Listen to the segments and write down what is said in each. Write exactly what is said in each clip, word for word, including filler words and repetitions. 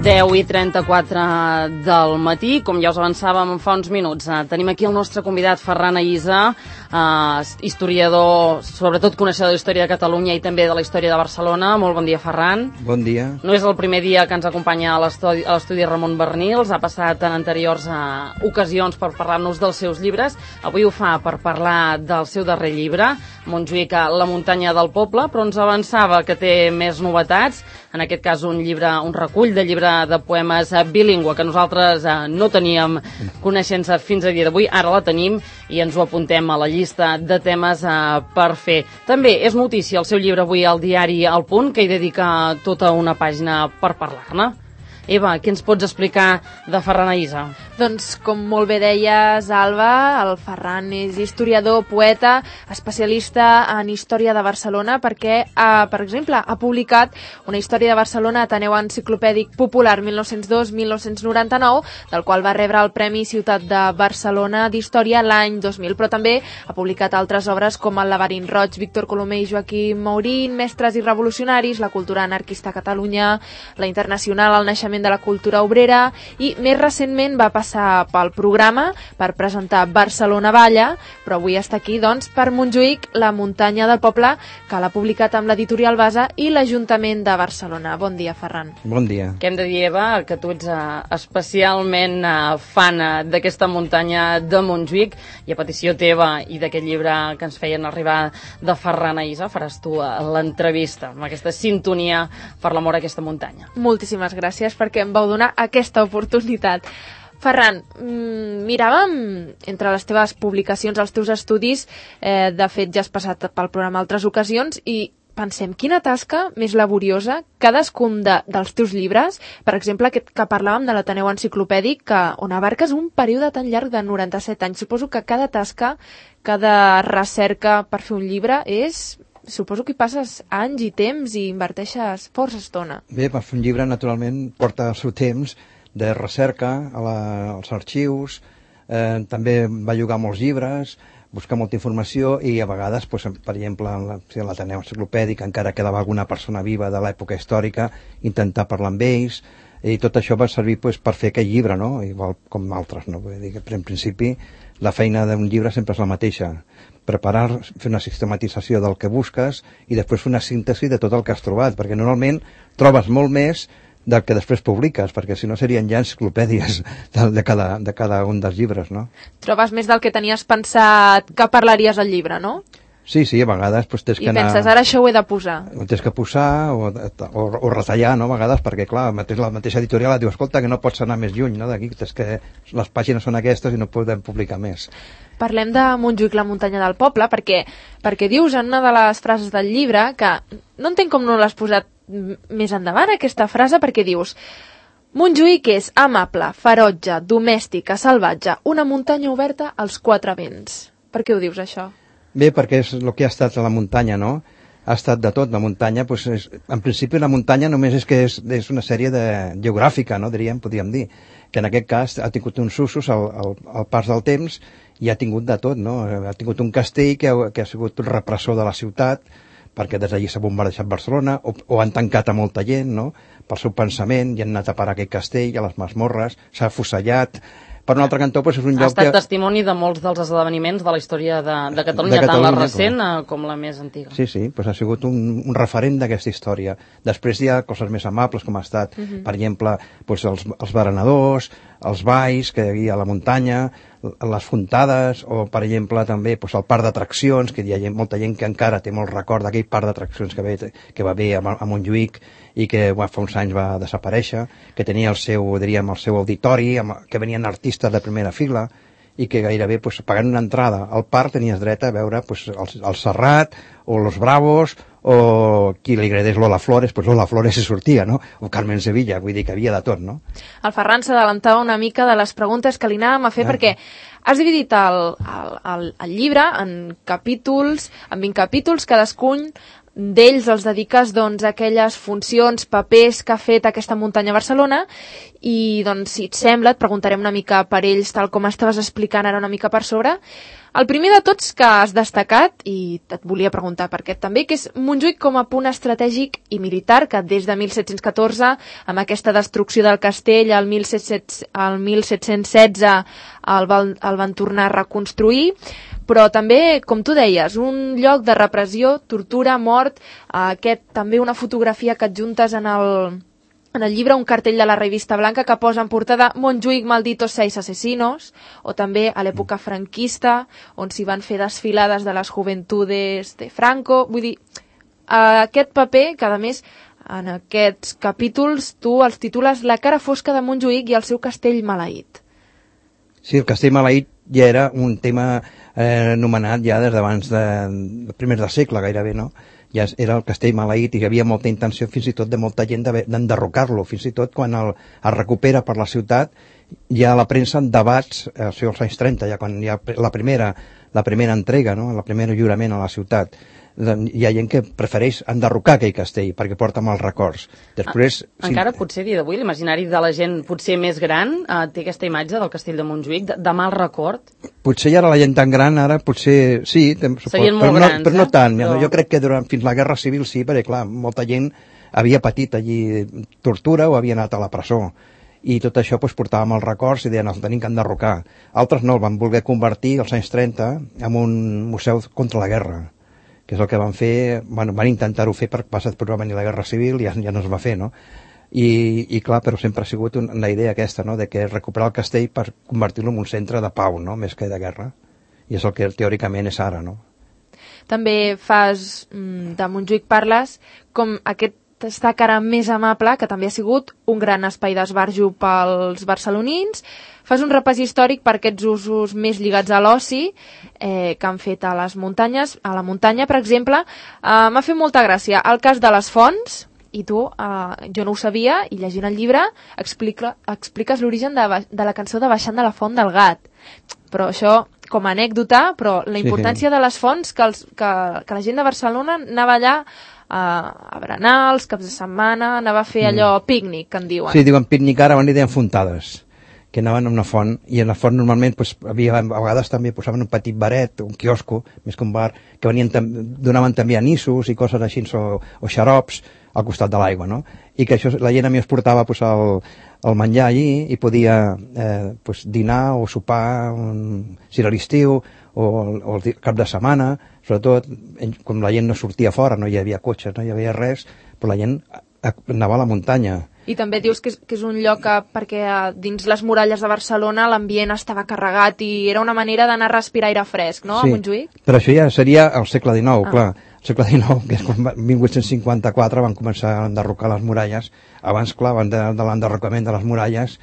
deu i trenta-quatre del matí, com ja us avançàvem fa uns minuts. Eh, tenim aquí el nostre convidat Ferran Aïssa, eh, historiador, sobretot coneixedor de la història de Catalunya i també de la història de Barcelona. Molt bon dia, Ferran. Bon dia. No és el primer dia que ens acompanya a l'estudi Ramon Bernils, ha passat en anteriors eh, ocasions per parlar-nos dels seus llibres. Avui ho fa per parlar del seu darrer llibre, Montjuïc, La muntanya del poble, però ens avançava que té més novetats, en aquest cas un llibre, un recull de llibre de poemes bilingüe que nosaltres eh, no teníem coneixença fins a dia d'avui, ara la tenim i ens ho apuntem a la llista de temes eh, per fer. També és notícia el seu llibre avui al diari El Punt, que hi dedica tota una pàgina per parlar-ne. Eva, què ens pots explicar de Ferran Aïssa? Doncs, com molt bé deies, Alba, el Ferran és historiador, poeta, especialista en història de Barcelona, perquè, eh, per exemple, ha publicat una història de Barcelona, Ateneu Enciclopèdic Popular mil nou-cents dos a mil nou-cents noranta-nou, del qual va rebre el Premi Ciutat de Barcelona d'Història l'any dos mil, però també ha publicat altres obres com El laberint roig, Víctor Colomer i Joaquim Maurín, Mestres i revolucionaris, La cultura anarquista a Catalunya, La internacional, El naixement de la cultura obrera, i més recentment va passar pel programa per presentar Barcelona Balla, però avui està aquí doncs per Montjuïc, La muntanya del poble, que l'ha publicat amb l'editorial Basa i l'Ajuntament de Barcelona. Bon dia, Ferran. Bon dia. Què hem de dir, Eva? Que tu ets uh, especialment uh, fan uh, d'aquesta muntanya de Montjuïc, i a petició teva i d'aquest llibre que ens feien arribar de Ferran Aïssa, faràs tu uh, l'entrevista amb aquesta sintonia per l'amor a aquesta muntanya. Moltíssimes gràcies perquè em vau donar aquesta oportunitat. Ferran, miràvem entre les teves publicacions, els teus estudis, eh, de fet ja has passat pel programa altres ocasions, i pensem, quina tasca més laboriosa cadascun de, dels teus llibres, per exemple, aquest que parlàvem de l'Ateneu Enciclopèdic, que, on abarques un període tan llarg de noranta-set anys. Suposo que cada tasca, cada recerca per fer un llibre és... Suposo que hi passes anys i temps i inverteixes força estona. Bé, per fer un llibre, naturalment, porta el seu temps de recerca a la, als arxius, eh, també va llogar molts llibres, buscar molta informació, i a vegades, pues, per exemple, en l'Ateneu Enciclopèdic encara quedava alguna persona viva de l'època històrica, intentar parlar amb ells, i tot això va servir, pues, per fer aquell llibre, no? Igual com altres, no? Vull dir que, en principi, la feina d'un llibre sempre és la mateixa: preparar, fer una sistematització del que busques i després fer una síntesi de tot el que has trobat, perquè normalment trobes molt més del que després publiques, perquè si no serien ja enciclopèdies de, de, cada, de cada un dels llibres, no? Trobes més del que tenies pensat que parlaries al llibre, no? Sí, sí, a vegades pues, tens I que anar... penses, ara això ho he de posar. Ho tens que posar o, o, o retallar, no?, a vegades, perquè, clar, mateix, la mateixa editorial et diu, escolta, que no pots anar més lluny, no?, d'aquí, és que les pàgines són aquestes i no podem publicar més. Parlem de Montjuïc, la muntanya del poble, perquè, perquè dius en una de les frases del llibre que no entenc com no l'has posat més endavant, aquesta frase, perquè dius: Montjuïc és amable, ferotge, domèstica, salvatge, una muntanya oberta als quatre vents. Per què ho dius, això? Bé, perquè és el que ha estat a la muntanya, no? Ha estat de tot. La muntanya, pues, és, en principi la muntanya només és que és, és una sèrie de geogràfica, no, diríem, podríem dir, que en aquest cas ha tingut uns usos al, al, al pas del temps i ha tingut de tot, no? Ha tingut un castell que ha, que ha sigut un repressor de la ciutat, perquè des d'allí s'ha bombardejat Barcelona, o, o han tancat a molta gent, no?, pel seu pensament, i han anat a parar aquell castell, a les masmorres, s'ha afusellat. Per un altre cantó, pues, és un lloc que... Ha estat testimoni de molts dels esdeveniments de la història de, de Catalunya, de Catalunya, tant la recent com... com la més antiga. Sí, sí, pues ha sigut un, un referent d'aquesta història. Després hi ha coses més amables, com ha estat, uh -huh. per exemple, pues, els, els berenadors, els balls que hi havia a la muntanya, les fontades, o, per exemple, també pues, el parc d'atraccions, que hi ha gent, molta gent que encara té molt record d'aquell parc d'atraccions que, ve, que va haver a, a Montjuïc i que bueno, fa uns anys va desaparèixer, que tenia el seu, diríem, el seu auditori, amb, que venien artistes de primera fila, i que gairebé, pues, pagant una entrada al parc, tenies dret a veure pues, el, el Serrat, o los Bravos, o qui li agradés Lola Flores, pues Lola Flores se sortia, no? O Carmen Sevilla, vull dir que havia de tot, no? El Ferran s'adelantava una mica de les preguntes que li anàvem a fer, ah. perquè has dividit el, el, el, el llibre en capítols, en vint capítols, cadascun d'ells els dediques doncs, a aquelles funcions, papers que ha fet aquesta muntanya a Barcelona, i doncs, si et sembla, et preguntarem una mica per ells, tal com estaves explicant ara una mica per sobre. El primer de tots que has destacat, i et volia preguntar per aquest també, que és Montjuïc com a punt estratègic i militar, que des de mil set-cents catorze, amb aquesta destrucció del castell, el mil set-cents setze el, van, el van tornar a reconstruir, però també, com tu deies, un lloc de repressió, tortura, mort, aquest també una fotografia que adjuntes en el... En el llibre un cartell de la revista Blanca que posa en portada Montjuïc malditos seis asesinos, o també a l'època franquista, on s'hi van fer desfilades de les joventudes de Franco. Vull dir, aquest paper, que a més en aquests capítols tu els titules La cara fosca de Montjuïc i el seu castell maleït. Sí, el castell maleït ja era un tema eh, anomenat ja des d'abans de, de primers de segle gairebé, no? Ja era el castell maleït i hi havia molta intenció fins i tot de molta gent d'enderrocar-lo, fins i tot quan el, es recupera per la ciutat hi ha a la premsa en debats, eh, o sigui, als anys trenta, ja quan hi ha la primera, la primera entrega, no? La primera jurament a la ciutat. Hi ha gent que prefereix enderrocar aquell castell perquè porta mals records. Després, ah, encara si... potser a dia d'avui l'imaginari de la gent potser més gran eh, té aquesta imatge del castell de Montjuïc de, de mal record? Potser ja ara la gent tan gran ara potser sí, serien molt però grans, no, però no tant, eh? Però... jo crec que durant, fins la Guerra Civil sí, perquè clar, molta gent havia patit allí tortura o havia anat a la presó i tot això pues, portava mals records i deien els tenim que enderrocar. Altres no, el van voler convertir als anys trenta en un museu contra la guerra, que és el que van fer, bueno, van intentar-ho fer per passat per venir la Guerra Civil i ja, ja no es va fer, no? I, i clar, però sempre ha sigut una, una idea aquesta, no?, de que recuperar el castell per convertir-lo en un centre de pau, no?, més que de guerra. I és el que teòricament és ara, no? També fas, de Montjuïc parles, com aquest destac ara més amable, que també ha sigut un gran espai d'esbarjo pels barcelonins. Fas un repàs històric per aquests usos més lligats a l'oci eh, que han fet a les muntanyes. A la muntanya, per exemple, eh, m'ha fet molta gràcia el cas de les fonts, i tu, eh, jo no ho sabia, i llegint el llibre explica, expliques l'origen de, de la cançó de Baixant de la Font del Gat. Però això, com a anècdota, però la importància sí, sí. de les fonts, que, els, que, que la gent de Barcelona anava allà a, a berenar els caps de setmana, anava a fer allò mm. pícnic, que en diuen. Sí, diuen pícnic ara, van dir deien fontades, que anaven a una font, i en la font normalment pues, havia, a vegades també posaven un petit baret, un quiosco, més que un bar, que venien, donaven també anissos i coses així, o, o xarops al costat de l'aigua, no? I que això, la gent a mi es portava pues, el, el menjar allí i podia eh, pues, dinar o sopar, un, si era l'estiu, o, o el cap de setmana, sobretot, com la gent no sortia fora, no hi havia cotxes, no hi havia res, però la gent anava a la muntanya. I també dius que és, que és un lloc que, perquè dins les muralles de Barcelona l'ambient estava carregat i era una manera d'anar a respirar aire fresc, no?, sí, a Montjuïc? Però això ja seria el segle dinou, ah. clar. El segle dinou, que és quan mil vuit-cents cinquanta-quatre van començar a enderrocar les muralles. Abans, clar, abans de, de l'enderrocament de les muralles,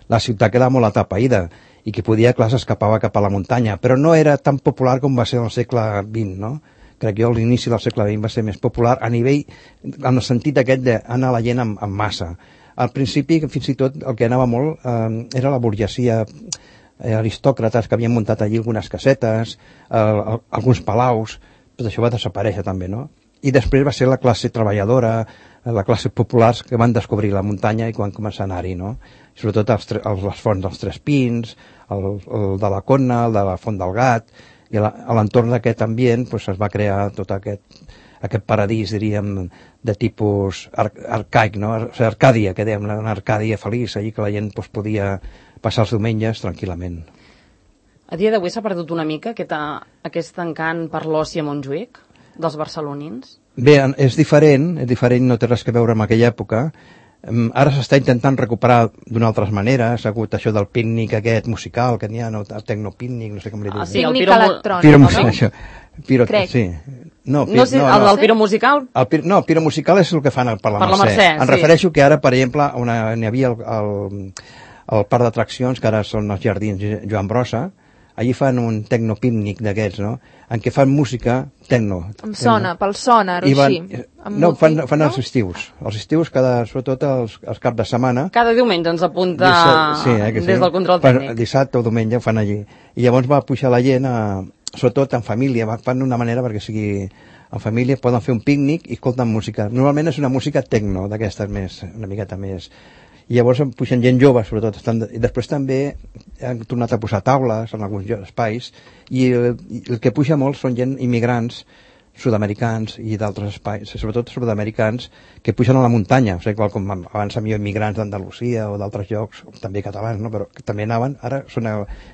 la ciutat quedava molt atapeïda i qui podia, clar, s'escapava cap a la muntanya. Però no era tan popular com va ser el segle vint, no? Crec que a l'inici del segle vint va ser més popular a nivell, en el sentit aquest d'anar la gent en, en massa. Al principi, fins i tot, el que anava molt eh, era la burgesia, eh, aristòcrates que havien muntat allí algunes casetes, eh, alguns palaus, tot això va desaparèixer també, no? I després va ser la classe treballadora, la classe populars que van descobrir la muntanya i quan començar a anar-hi, no? I sobretot els, els, les fonts dels Tres Pins, el, el de la Conna, el de la Font del Gat, i a l'entorn d'aquest ambient pues, es va crear tot aquest, aquest paradís, diríem, de tipus ar arcaic, no? O sigui, Arcàdia, que dèiem, una Arcàdia feliç, allí que la gent pues, podia passar els diumenges tranquil·lament. A dia d'avui s'ha perdut una mica aquest, aquest encant per l'oci a Montjuïc, dels barcelonins? Bé, és diferent, és diferent, no té res que veure amb aquella època. Ara s'està intentant recuperar d'una altra manera, s'ha hagut això del pícnic aquest musical, que n'hi ha, no, el tecnopícnic, no sé com li diuen. Ah, sí, el pícnic electrònic, piro, no? Això, piro, Crec. Sí. No, pir, no sé, no, el del piro musical? El pir, no, el piro musical és el que fan per la per Mercè. La Mercè em sí. refereixo que ara, per exemple, n'hi havia el, el, el parc d'atraccions, que ara són els jardins Joan Brossa, allí fan un tecnopícnic d'aquests, no?, en què fan música tecno. Em sona, pel sonar, o van, així. No, fan, fan no? els estius. Els estius, cada, sobretot els, els caps de setmana. Cada diumenge ens apunta dissabte, sí, eh, que sí. Des del control tècnic. Fan, dissabte o diumenge ho fan allí. I llavors va pujar la gent, a, sobretot en família, fan d'una manera perquè sigui en família, poden fer un pícnic i escolten música. Normalment és una música tecno, d'aquestes més, una miqueta més. i llavors pugen gent jove, sobretot. Estan, i després també han tornat a posar taules en alguns espais, i el, el que puja molt són gent immigrants sud-americans i d'altres espais, sobretot sud-americans, que pugen a la muntanya, o sigui, igual com abans havia immigrants d'Andalusia o d'altres llocs, també catalans, no? Però que també anaven, ara són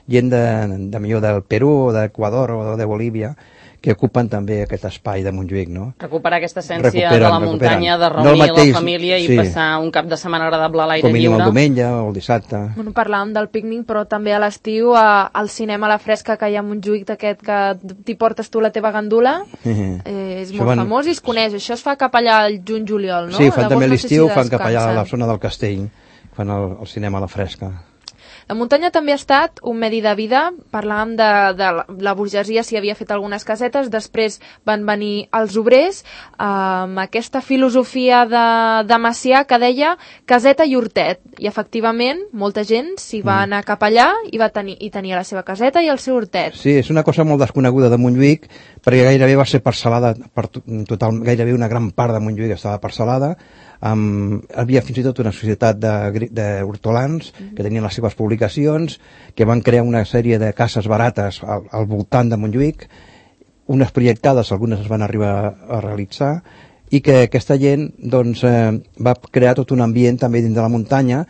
gent de, de millor del Perú o d'Equador o de Bolívia, que ocupen també aquest espai de Montjuïc, no? Recuperar aquesta essència recuperen, de la muntanya, de reunir no mateix, la família i sí. passar un cap de setmana agradable a l'aire lliure. Com mínim el diumenge o el dissabte. Bueno, parlàvem del pícnic, però també a l'estiu al cinema a la fresca que hi ha a Montjuïc, d'aquest que t'hi portes tu la teva gandula, uh-huh. eh, és molt van... famós i es coneix. Això es fa cap allà al juny-juliol, no? Sí, fan també l'estiu, no sé si fan cap allà a la zona del Castell, fan el, el cinema a la fresca. La muntanya també ha estat un medi de vida. Parlàvem de, de la burgesia, si havia fet algunes casetes, després van venir els obrers, amb aquesta filosofia de, de Macià que deia caseta i hortet. I efectivament, molta gent s'hi va anar cap allà i va tenir, i tenia la seva caseta i el seu hortet. Sí, és una cosa molt desconeguda de Montjuïc, perquè gairebé va ser parcel·lada, per total, gairebé una gran part de Montjuïc estava parcel·lada. Um, hi havia fins i tot una societat d'hortolans mm-hmm. que tenien les seves publicacions, que van crear una sèrie de cases barates al, al voltant de Montjuïc, unes projectades, algunes es van arribar a realitzar, i que aquesta gent doncs, eh, va crear tot un ambient també dins de la muntanya,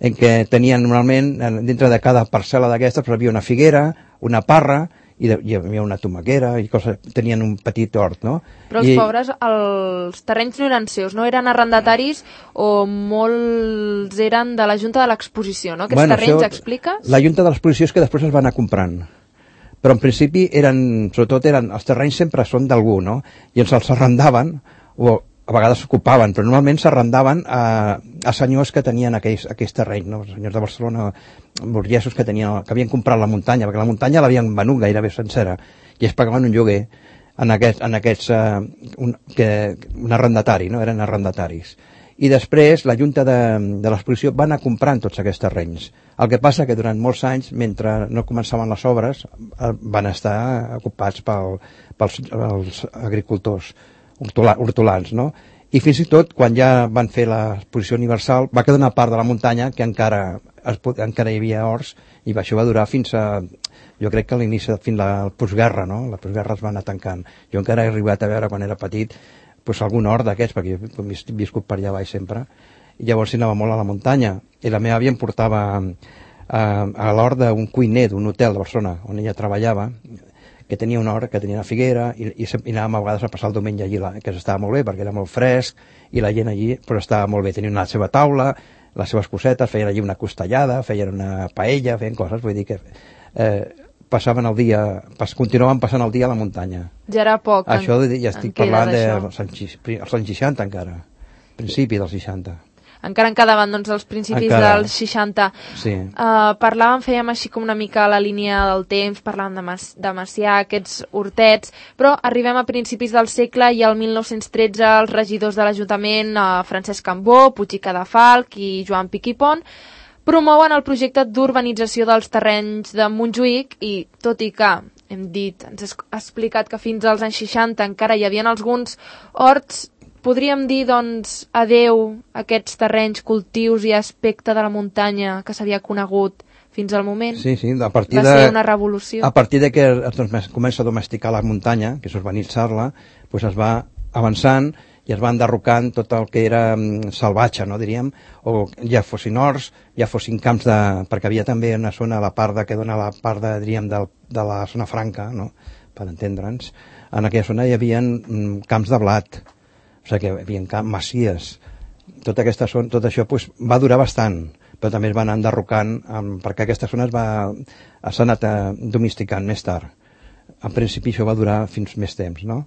en què tenien normalment, dintre de cada parcel·la d'aquestes, hi havia una figuera, una parra, i hi havia una tomaquera i coses, tenien un petit hort, no? Però els I... pobres, els terrenys no eren seus, no? Eren arrendataris o molts eren de la Junta de l'Exposició, no? Aquests bueno, terrenys, això, expliques? La Junta de l'Exposició és que després es van anar comprant. Però en principi eren, sobretot eren, els terrenys sempre són d'algú, no? I ens els arrendaven, o a vegades s'ocupaven, però normalment s'arrendaven a, a senyors que tenien aquells, aquells terrenys, no? Senyors de Barcelona, burgesos que, tenien, que havien comprat la muntanya, perquè la muntanya l'havien venut gairebé sencera, i es pagaven un lloguer en aquests, en aquests uh, un, que, un arrendatari, no? Eren arrendataris. I després la Junta de, de l'Exposició va anar comprant tots aquests terrenys. El que passa que durant molts anys, mentre no començaven les obres, van estar ocupats pel, pels, pels agricultors hortolans, no? I fins i tot, quan ja van fer l'exposició universal, va quedar una part de la muntanya que encara, es, encara hi havia horts, i això va durar fins a, jo crec que a l'inici, fins a la postguerra, no? La postguerra es va anar tancant. Jo encara he arribat a veure, quan era petit, pues, algun hort d'aquests, perquè jo he viscut per allà baix sempre, i llavors s'hi anava molt a la muntanya. I la meva àvia em portava a, a l'hort d'un cuiner d'un hotel de Barcelona, on ella treballava, que tenia una hora, que tenia una figuera, i, i, i anàvem a vegades a passar el diumenge allí, la, que estava molt bé, perquè era molt fresc, i la gent allí però estava molt bé, tenien la seva taula, les seves cosetes, feien allí una costellada, feien una paella, feien coses, vull dir que eh, passaven el dia, pas, continuaven passant el dia a la muntanya. Ja era poc. Això en, ja estic parlant dels anys seixanta encara, principi dels seixanta. Encara en quedaven, doncs, els principis encara. Dels seixanta. Sí. Uh, parlàvem, fèiem així com una mica la línia del temps, parlàvem de, Mas, de Macià, aquests hortets, però arribem a principis del segle i al mil nou-cents tretze els regidors de l'Ajuntament, uh, Francesc Cambó, Puig i Cadafalch i Joan Piquipont, promouen el projecte d'urbanització dels terrenys de Montjuïc i, tot i que hem dit, ens ha explicat que fins als anys seixanta encara hi havia alguns horts, podríem dir, doncs, adeu a aquests terrenys, cultius i aspecte de la muntanya que s'havia conegut fins al moment? Sí, sí, a partir va de... ser una revolució. A partir de que es comença a domesticar la muntanya, que és urbanitzar-la, doncs es va avançant i es va enderrocant tot el que era um, salvatge, no, diríem, o ja fossin horts, ja fossin camps de... perquè havia també una zona, la part de, que dona la part de, diríem, de, de la zona franca, no?, per entendre'ns. En aquella zona hi havia um, camps de blat, o sigui que hi havia camps, masies. Tota aquesta zona, tot això pues, va durar bastant, però també es va anar enderrocant, um, perquè aquesta zona es va, s'ha anat uh, domesticant més tard. En principi això va durar fins més temps, no?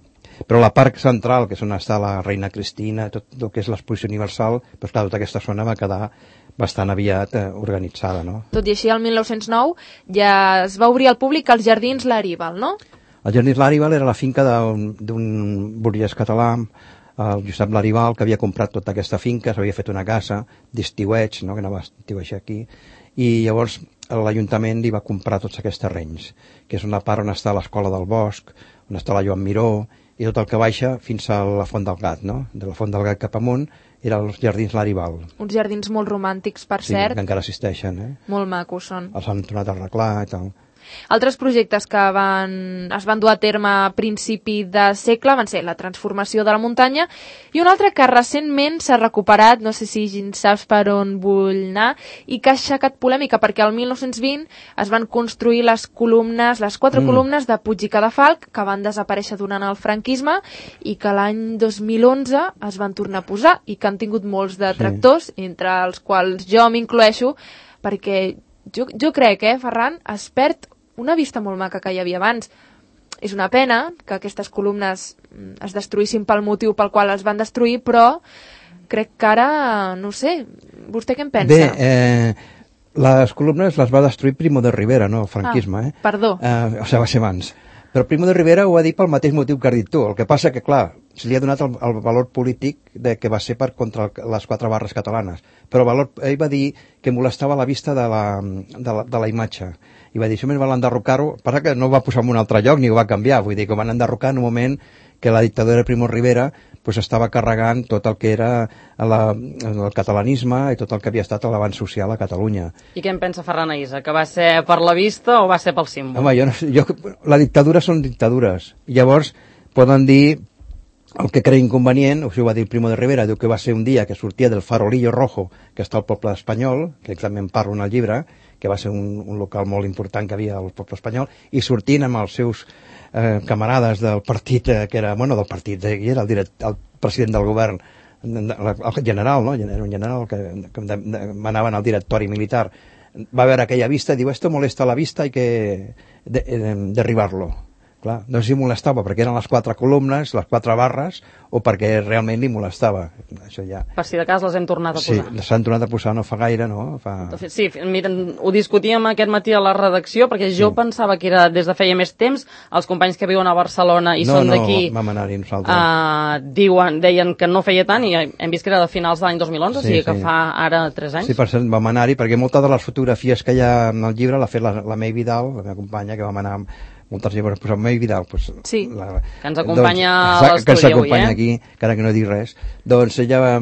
Però la part central, que és on està la Reina Cristina, tot el que és l'exposició universal, doncs clar, tota aquesta zona va quedar bastant aviat eh, organitzada, no? Tot i així, el mil nou-cents nou ja es va obrir al públic els Jardins Laribal, no? Els Jardins Laribal era la finca d'un burgès català, el Josep Laribal, que havia comprat tota aquesta finca, s'havia fet una casa d'estiueig, no?, que anava a estiueixar aquí, i llavors l'Ajuntament li va comprar tots aquests terrenys, que és una part on està l'Escola del Bosc, on està la Joan Miró, i tot el que baixa fins a la Font del Gat, no? De la Font del Gat cap amunt eren els jardins Larival. Uns jardins molt romàntics, per sí, cert. Que encara existeixen, eh? Molt macos són. Els han tornat a arreglar i tal. Altres projectes que van, es van dur a terme a principi de segle van ser la transformació de la muntanya i un altre que recentment s'ha recuperat, no sé si saps per on vull anar, i que ha aixecat polèmica perquè el mil nou-cents vint es van construir les columnes, les quatre mm. columnes de Puig i Cadafalch que van desaparèixer durant el franquisme i que l'any dos mil onze es van tornar a posar i que han tingut molts detractors, sí. entre els quals jo m'incloeixo, perquè jo, jo crec, eh, Ferran, es perd una vista molt maca que hi havia abans. És una pena que aquestes columnes es destruïssin pel motiu pel qual es van destruir, però crec que ara, no sé, vostè què en pensa? Bé, eh, les columnes les va destruir Primo de Rivera, no el franquisme. Ah, eh? perdó. Eh, o sigui, va ser abans. Però Primo de Rivera ho ha dit pel mateix motiu que has dit tu. El que passa que, clar, se li ha donat el, el valor polític de que va ser per contra el, les quatre barres catalanes. Però el valor, ell va dir que molestava la vista de la, de la, de la imatge. I va dir, això més val enderrocar-ho, passa que no ho va posar en un altre lloc ni ho va canviar, vull dir que ho van enderrocar en un moment que la dictadura de Primo Rivera pues, estava carregant tot el que era la, el catalanisme i tot el que havia estat l'abans social a Catalunya. I què en pensa Ferran Aïssa? Que va ser per la vista o va ser pel símbol? Home, jo no sé, jo, la dictadura són dictadures, i llavors poden dir el que creia inconvenient, o sigui, ho va dir Primo de Rivera, diu que va ser un dia que sortia del Farolillo Rojo, que està al poble espanyol, que també en parlo en el llibre, que va ser un, un local molt important que havia al poble espanyol, i sortint amb els seus eh, camarades del partit, eh, que era, bueno, del partit, eh, era el, direct, el president del govern, el general, no? Era un general que, que de, de, manaven al directori militar, va veure aquella vista i diu, esto molesta la vista, hay que de, de, derribar-lo. Clar, no sé si molestava perquè eren les quatre columnes, les quatre barres, o perquè realment li molestava. Això ja... Per si de cas les hem tornat a posar. Sí, s'han tornat a posar no fa gaire, no? Fa... Sí, mira, ho discutíem aquest matí a la redacció, perquè jo sí. pensava que era des de feia més temps, els companys que viuen a Barcelona i no, són d'aquí, no, vam anar-hi nosaltres. Uh, diuen, deien que no feia tant, i hem vist que era de finals de l'any dos mil onze, sí, o sigui sí. que fa ara tres anys. Sí, per cert, vam anar-hi, perquè moltes de les fotografies que hi ha en el llibre l'ha fet la, la May Vidal, la meva companya, que vam anar amb moltes llibres, posar May Vidal, pues, sí, la, que ens acompanya doncs, a l'estudi que ens acompanya avui, eh? aquí, encara que no dic res. Doncs ella va,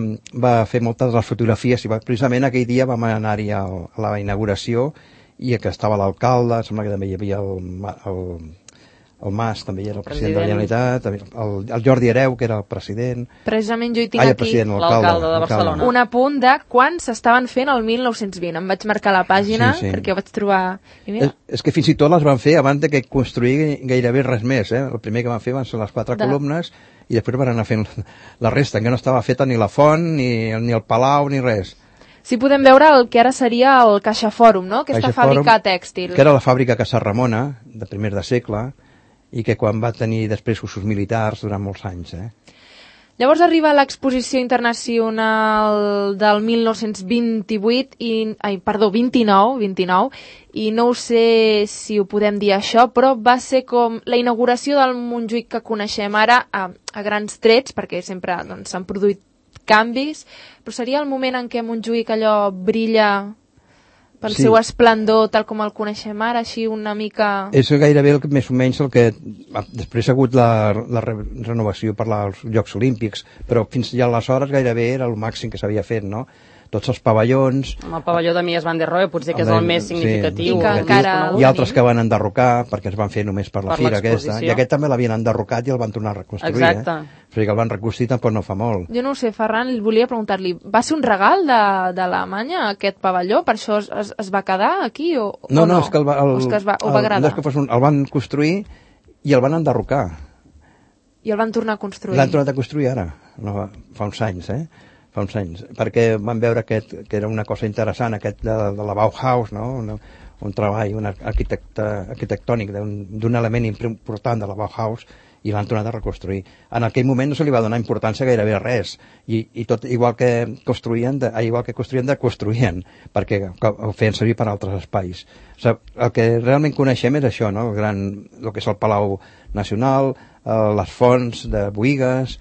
va fer moltes de les fotografies i va, precisament aquell dia vam anar-hi a la inauguració i que estava l'alcalde, sembla que també hi havia el, el, el Mas, també hi era el president, president de la Generalitat, el, el Jordi Hereu, que era el president. Precisament jo hi tinc Ai, aquí l'alcalde de Barcelona. Un apunt de quan s'estaven fent el mil nou-cents vint. Em vaig marcar la pàgina sí, sí. perquè ho vaig trobar... I mira. És, és que fins i tot les van fer abans de que construir gairebé res més. Eh? El primer que van fer van ser les quatre de... columnes i després van anar fent la resta, que no estava feta ni la font, ni, ni el palau, ni res. Sí, podem veure el que ara seria el Caixa Fòrum, no? Aquesta Caixa fàbrica Fòrum, tèxtil. Que era la fàbrica Casa Ramona, de primers de segle, i que quan va tenir després usos militars durant molts anys. Eh? Llavors arriba l'exposició internacional del mil nou-cents vint-i-vuit, i, ai, perdó, vint-i-nou, vint-i-nou, i no ho sé si ho podem dir això, però va ser com la inauguració del Montjuïc que coneixem ara a, a grans trets, perquè sempre doncs, s'han produït canvis, però seria el moment en què Montjuïc allò brilla pel sí. seu esplendor tal com el coneixem ara, així una mica... És gairebé el, més o menys el que... Després ha hagut la, la re, renovació per als Jocs Olímpics, però fins ja aleshores gairebé era el màxim que s'havia fet, no? Tots els pavellons... El pavelló de Mies van der Rohe potser que és el més significatiu. Sí, I, que encara I altres que van enderrocar, perquè es van fer només per la per fira aquesta. I aquest també l'havien enderrocat i el van tornar a reconstruir. Exacte. Eh? O sigui que el van reconstruir tampoc no fa molt. Jo no ho sé, Ferran, volia preguntar-li, va ser un regal de, d'Alemanya aquest pavelló? Per això es, es, es va quedar aquí o, no? o no? No, és que el, el, o que es va, o va el, agradar? No és que fos un, el van construir i el van enderrocar. I el van tornar a construir? L'han tornat a construir ara, no, fa uns anys, eh? fa uns anys, perquè van veure aquest, que era una cosa interessant, aquest de, de la Bauhaus, no? un, un treball un arquitecte, arquitectònic d'un element important de la Bauhaus, i l'han tornat a reconstruir. En aquell moment no se li va donar importància gairebé a res, i, i tot igual que construïen, de, igual que construïen, de construïen, perquè ho feien servir per altres espais. O sigui, el que realment coneixem és això, no? el, gran, el que és el Palau Nacional, eh, les fonts de Boïgues,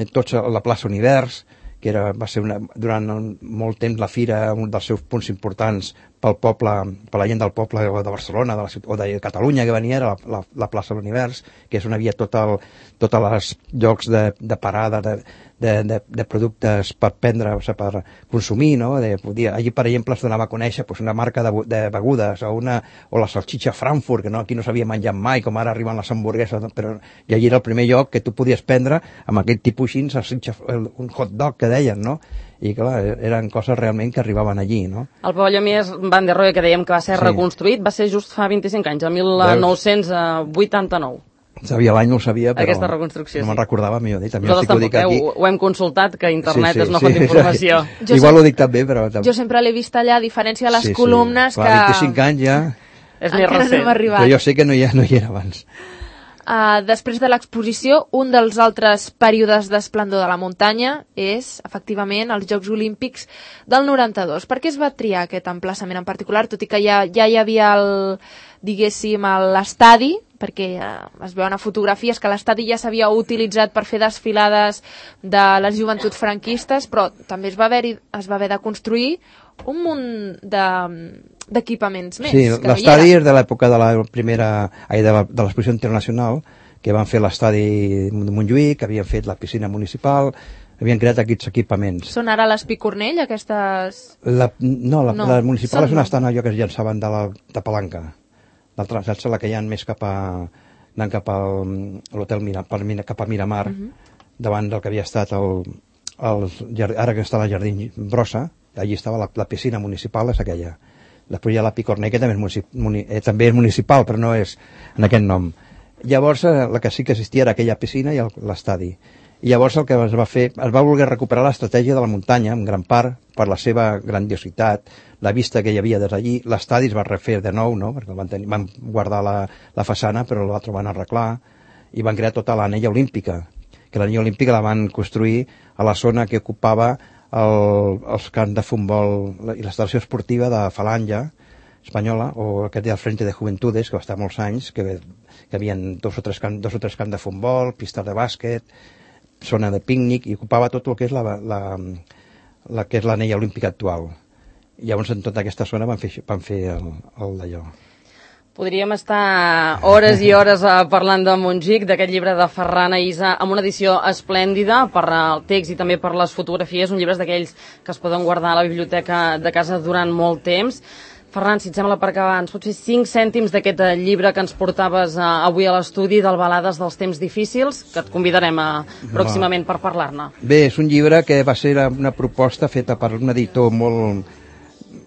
tots la plaça Univers, que era, va ser una, durant un, molt temps la fira, un dels seus punts importants pel poble, per la gent del poble de Barcelona de la ciutat, o de Catalunya que venia, era la, la, la plaça de l'Univers, que és on havia tot el, tots els llocs de, de parada de, de, de, de productes per prendre, o sigui, per consumir, no? De, podia, allí, per exemple, es donava a conèixer pues, una marca de, de begudes o, una, o la salxitxa Frankfurt, que no, aquí no s'havia menjat mai, com ara arriben les hamburgueses, però, i allí era el primer lloc que tu podies prendre amb aquest tipus així, salxitxa, un hot dog que deien, no? I clar, eren coses realment que arribaven allí, no? El pavelló Mies van der Rohe, que dèiem que va ser sí. reconstruït, va ser just fa vint-i-cinc anys, el mil nou-cents vuitanta-nou. Sabia l'any, no ho sabia, però aquesta reconstrucció, no me'n sí. recordava, millor dit. Nosaltres tampoc, eh? Ho, ho hem consultat, que internet sí, sí, és una font sí, d'informació. Sí. Igual ho dic també, però... Jo sempre l'he vist allà, a diferència de les sí, columnes, sí. Clar, que... vint-i-cinc anys ja... És més recent. No però jo sé que no hi, ha, no hi era abans. Uh, després de l'exposició, un dels altres períodes d'esplendor de la muntanya és, efectivament, els Jocs Olímpics del noranta-dos. Per què es va triar aquest emplaçament en particular, tot i que ja, ja hi havia el, diguéssim, l'estadi, perquè uh, es veuen a fotografies que l'estadi ja s'havia utilitzat per fer desfilades de les joventuts franquistes, però també es va haver, es va haver de construir un munt de... d'equipaments més. Sí, l'estadi és de l'època de la primera, ai, de l'exposició internacional, que van fer l'estadi de Montjuïc, que havien fet la piscina municipal, havien creat aquests equipaments. Són ara les Picornell, aquestes... La, no, la, no, la municipal és on no. estan allò que es llançaven de la de Palanca. L'altra, saps, la que hi ha més cap a, anant cap a l'hotel Mira, cap a Miramar, uh -huh. davant del que havia estat el, el, ara que està la Jardí Brossa, allí estava la, la piscina municipal, és aquella. Després hi ha la Picornell, que també és, municip, muni, eh, també és municipal, però no és en aquest nom. Llavors, eh, la que sí que existia era aquella piscina i l'estadi. I llavors el que es va fer, es va voler recuperar l'estratègia de la muntanya, en gran part, per la seva grandiositat, la vista que hi havia des d'allí. L'estadi es va refer de nou, no? Perquè van, tenir, van guardar la, la façana, però l'altre van arreglar, i van crear tota l'anella olímpica, que l'anella olímpica la van construir a la zona que ocupava El, els camps de futbol i l'instal·lació esportiva de Falange espanyola, o aquest del Frente de Juventudes, que va estar molts anys, que, que havien dos o, tres camp, dos o tres camps de futbol, pistes de bàsquet, zona de pícnic, i ocupava tot el que és la, la, la que és l'anella olímpica actual. I llavors en tota aquesta zona van fer, van fer el, el d'allò. Podríem estar hores i hores uh, parlant de Montjuïc, d'aquest llibre de Ferran Aïssa, amb una edició esplèndida per el text i també per les fotografies, un llibre d'aquells que es poden guardar a la biblioteca de casa durant molt temps. Ferran, si et sembla, per acabar, ens pots fer cinc cèntims d'aquest llibre que ens portaves uh, avui a l'estudi, del Balades dels temps difícils, que et convidarem a, pròximament per parlar-ne. Bé, és un llibre que va ser una proposta feta per un editor molt...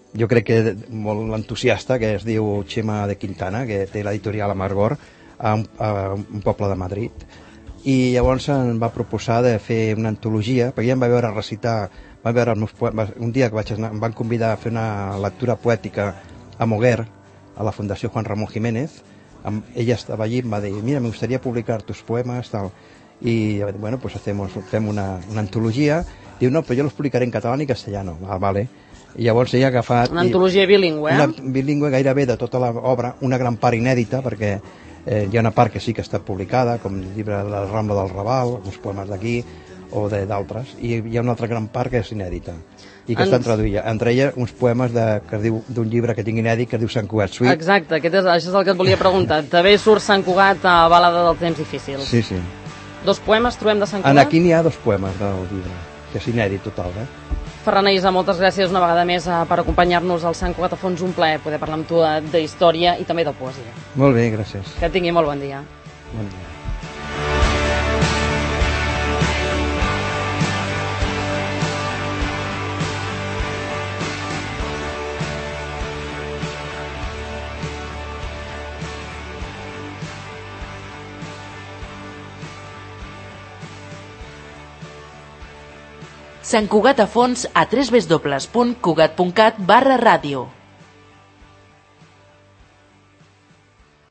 jo crec que molt entusiasta, que es diu Xema de Quintana, que té l'editorial Amargor, a un, a un poble de Madrid. I llavors em va proposar de fer una antologia, perquè ja em va veure recitar, va veure els meus poemes, un dia que vaig anar, em van convidar a fer una lectura poètica a Moguer, a la Fundació Juan Ramón Jiménez. Amb, ella estava allí i em va dir, mira, me gustaría publicar tus poemas, tal. Y bueno, pues hacemos, fem una, una antologia. Diu, no, però jo los publicaré en català i castellano. Ah, vale. I llavors ella ha agafat... Una antologia bilingüe, eh? Una bilingüe gairebé de tota l'obra, una gran part inèdita, perquè eh, hi ha una part que sí que està publicada, com el llibre de la Rambla del Raval, uns poemes d'aquí, o d'altres, i hi ha una altra gran part que és inèdita, i que Ens... estan traduïda. Entre elles, uns poemes de, que es diu d'un llibre que tinc inèdit, que es diu Sant Cugat Suite. Exacte, aquest és, això és el que et volia preguntar. També surt Sant Cugat a Balada dels temps difícils. Sí, sí. Dos poemes trobem de Sant Cugat? En aquí n'hi ha dos poemes del llibre, que és inèdit total, eh? Ferran Aïssa, moltes gràcies una vegada més per acompanyar-nos al Sant Cugat a Fons. Un plaer poder parlar amb tu de història i també de poesia. Molt bé, gràcies. Que tingui molt bon dia. Bon dia. Sant Cugat a Fons a w w w punt cugat punt cat barra ràdio.